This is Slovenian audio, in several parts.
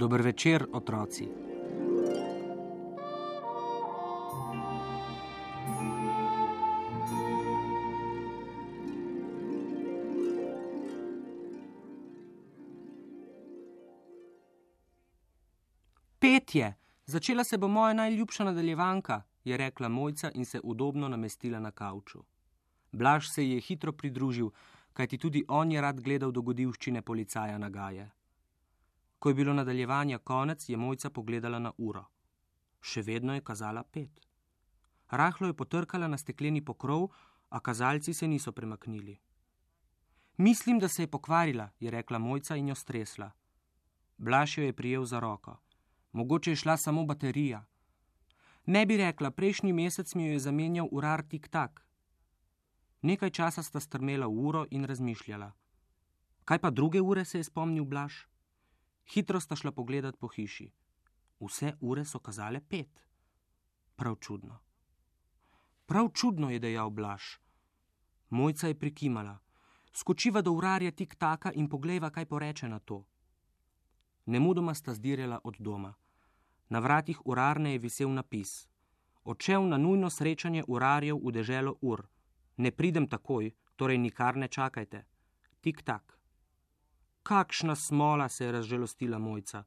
Dober večer, otroci. Petje! Začela se bo moja najljubša nadaljevanka, je rekla Mojca in se udobno namestila na kavču. Blaž se ji je hitro pridružil, kajti tudi on je rad gledal dogodivščine policaja Nagaje. Ko je bilo nadaljevanja konec, je Mojca pogledala na uro. Še vedno je kazala 5. Rahlo je potrkala na stekleni pokrov, a kazalci se niso premaknili. Mislim, da se je pokvarila, je rekla Mojca in jo stresla. Blaž jo je prijel za roko. Mogoče je šla samo baterija. Ne bi rekla, prejšnji mesec mi jo je zamenjal urar tik-tak. Nekaj časa sta strmela v uro in razmišljala. Kaj pa druge ure, se je spomnil Blaž? Hitro sta šla pogledat po hiši. Vse ure so kazale 5. Prav čudno. Prav čudno, je dejal Blaž. Mojca je prikimala. Skočiva do urarja tik-taka in poglejva, kaj poreče na to. Nemudoma sta zdirjala od doma. Na vratih urarne je visel napis. Odšel na nujno srečanje urarjev v deželo ur. Ne pridem takoj, torej nikar ne čakajte. Tik-tak. Kakšna smola, se je razžalostila Mojca.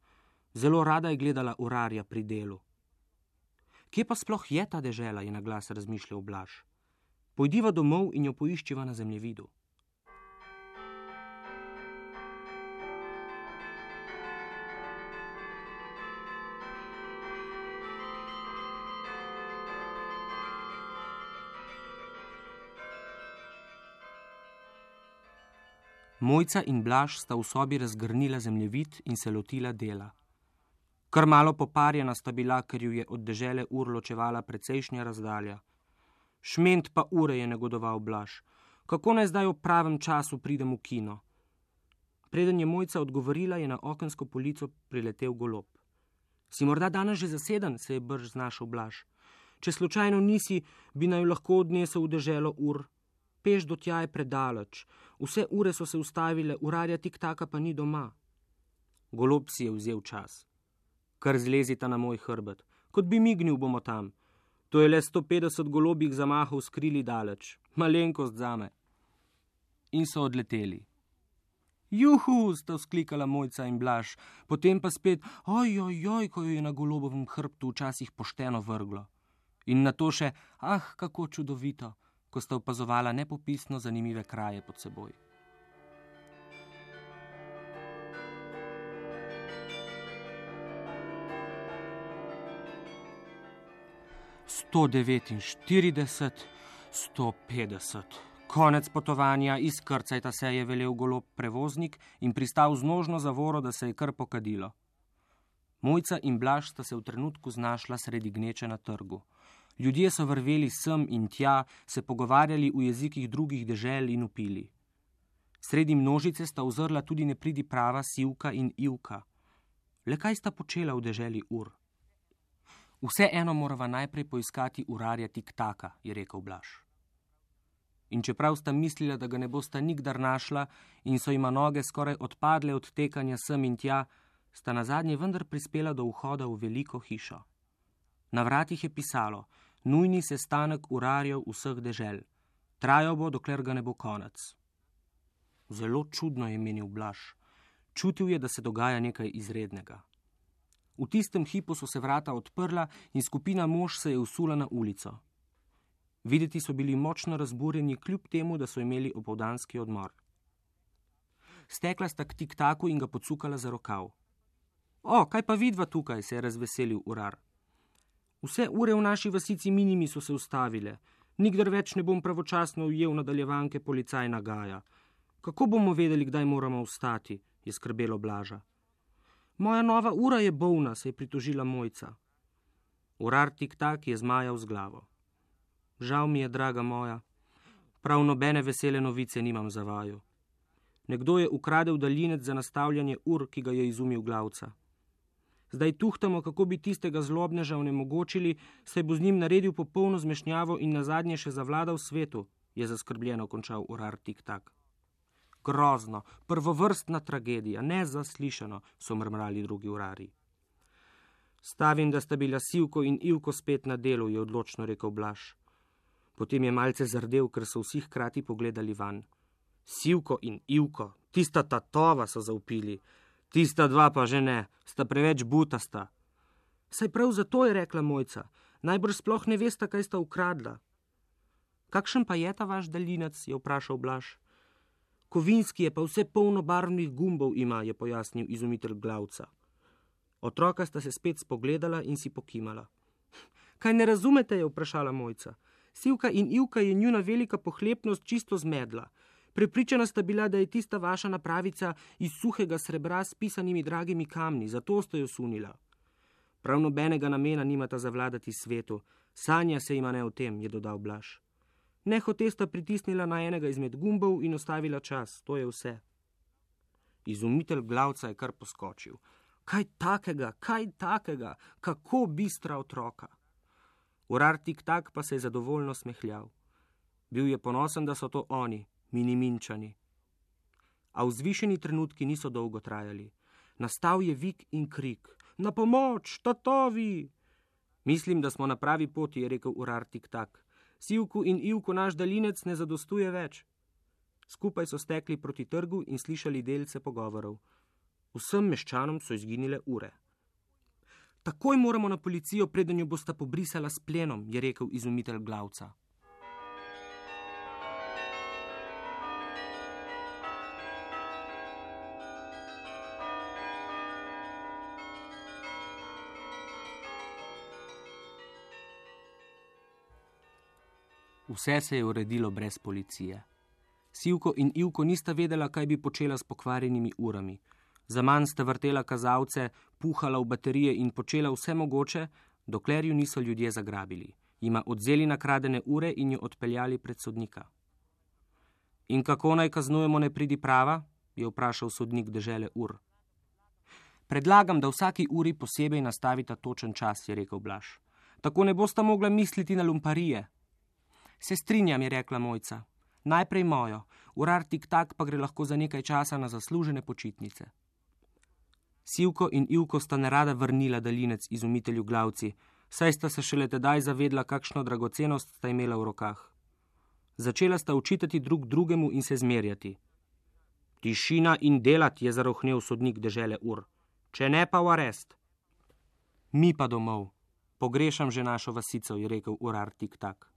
Zelo rada je gledala urarja pri delu. Kje pa sploh je ta dežela, je na glas razmišljal Blaž. Pojdiva domov in jo poiščiva na zemljevidu. Mojca in Blaž sta v sobi razgrnila zemljevid in se lotila dela. Kar malo poparjena sta bila, ker ju je od dežele ur ločevala precejšnja razdalja. Šment pa ure, je negodoval Blaž. Kako naj zdaj v pravem času pridem v kino? Preden je Mojca odgovorila, je na okensko polico priletel golob. Si morda danes že zaseden, se je brž znašel Blaž. Če slučajno nisi, bi naj lahko odnesel v deželo ur. Peš do tja je predaleč. Vse ure so se ustavile, urarja tik-taka pa ni doma. Golob si je vzel čas. Kar zlezita na moj hrbet. Kot bi mignil, bomo tam. To je le 150 golobih zamahov skrili daleč. Malenkost zame. In so odleteli. Juhu, sta vzklikala Mojca in Blaž. Potem pa spet, ojojoj, ko jo je na golobovem hrbtu včasih pošteno vrglo. In nato še, kako čudovito, ko sta opazovala nepopisno zanimive kraje pod seboj. Sto 49, 150. Konec potovanja, izkrcajta se, je velel golob prevoznik in pristal z nožno zavoro, da se je kar pokadilo. Mojca in Blaž sta se v trenutku znašla sredi gneče na trgu. Ljudje so vrveli sem in tja, se pogovarjali v jezikih drugih dežel in vpili. Sredi množice sta ozrla tudi nepridiprava Sivka in Ivka. Le kaj sta počela v deželi ur? Vseeno morava najprej poiskati urarja tik-taka, je rekel Blaž. In čeprav sta mislila, da ga ne bosta nikdar našla in so jima noge skoraj odpadle od tekanja sem in tja, sta nazadnje vendar prispela do vhoda v veliko hišo. Na vratih je pisalo: nujni sestanek urarjev vseh dežel. Trajal bo, dokler ga ne bo konec. Zelo čudno, je menil Blaž. Čutil je, da se dogaja nekaj izrednega. V tistem hipu so se vrata odprla in skupina mož se je usula na ulico. Videti so bili močno razburjeni, kljub temu, da so imeli opoldanski odmor. Stekla sta k tik-taku in ga pocukala za rokav. Kaj pa vidva tukaj, se je razveselil urar. Vse ure v naši vasici Minimi so se ustavile. Nikdar več ne bom pravočasno ujel nadaljevanke policaj Nagaja. Kako bomo vedeli, kdaj moramo vstati, je skrbelo Blaža. Moja nova ura je bolna, se je pritožila Mojca. Urar tik-tak je zmajal z glavo. Žal mi je, draga moja. Prav nobene vesele novice nimam za vaju. Nekdo je ukradel daljinec za nastavljanje ur, ki ga je izumil glavca. Zdaj tuhtamo, kako bi tistega zlobneža onemogočili, saj bo z njim naredil popolno zmešnjavo in nazadnje še zavladal svetu, je zaskrbljeno končal urar tik-tak. grozno, prvovrstna tragedija, nezaslišano, so mrmrali drugi urarji. Stavim, da sta bila Sivko in Ivko spet na delu, je odločno rekel Blaž. Potem je malce zardel, ker so vsi hkrati pogledali van. Sivko in Ivko, tista tatova, so zavpili. Tista dva pa že ne, sta preveč butasta. Saj prav zato, je rekla Mojca, najbrž sploh ne vesta, kaj sta ukradla. Kakšen pa je ta vaš daljinec, je vprašal Blaž. Kovinski je pa vse polno barvnih gumbov ima, je pojasnil izumitelj Glavca. Otroka sta se spet spogledala in si pokimala. Kaj ne razumete, je vprašala Mojca. Sivka in Ivka je njuna velika pohlepnost čisto zmedla. Prepričana sta bila, da je tista vaša napravica iz suhega srebra s pisanimi dragimi kamni, zato sta jo sunila. Prav nobenega namena nimata zavladati svetu, sanja se ima ne o tem, je dodal Blaž. Nehote sta pritisnila na enega izmed gumbov in ostavila čas, to je vse. Izumitelj Glavca je kar poskočil. Kaj takega, kako bistra otroka. Urar Tik-Tak pa se je zadovoljno smehljal. Bil je ponosen, da so to oni, Miniminčani. A vzvišeni trenutki niso dolgo trajali. Nastal je vik in krik. Na pomoč, tatovi! Mislim, da smo na pravi poti, je rekel Urar Tik-Tak. Sivku in Ivku naš daljinec ne zadostuje več. Skupaj so stekli proti trgu in slišali delce pogovorov. Vsem meščanom so izginile ure. Takoj moramo na policijo, preden jo bosta pobrisala s plenom, je rekel izumitelj Glavca. Vse se je uredilo brez policije. Sivko in Ivko nista vedela, kaj bi počela s pokvarjenimi urami. Zaman sta vrtela kazalce, puhala v baterije in počela vse mogoče, dokler ju niso ljudje zagrabili. Jima odzeli nakradene ure in jo odpeljali pred sodnika. In kako naj kaznujemo nepridiprava? Je vprašal sodnik dežele ur. Predlagam, da vsaki uri posebej nastavita točen čas, je rekel Blaž. Tako ne bosta mogla misliti na lumparije. Se strinjam, je rekla Mojca. Najprej mojo, Urar Tik-Tak pa gre lahko za nekaj časa na zaslužene počitnice. Sivko in Ivko sta nerada vrnila daljinec izumitelju Glavci, saj sta se šele tedaj zavedla, kakšno dragocenost sta imela v rokah. Začela sta učitati drug drugemu in se zmerjati. Tišina in delat, je zarohnel sodnik dežele ur. Če ne pa v arest. Mi pa domov. Pogrešam že našo vasico, je rekel Urar Tik-Tak.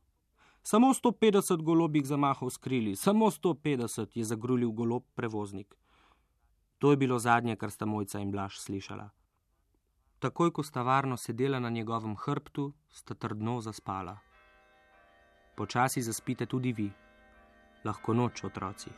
Samo 150 golobih zamahov skrili, samo 150, je zagrulil golob prevoznik. To je bilo zadnje, kar sta Mojca in Blaž slišala. Takoj, ko sta varno sedela na njegovem hrbtu, sta trdno zaspala. Počasi zaspite tudi vi. Lahko noč, otroci.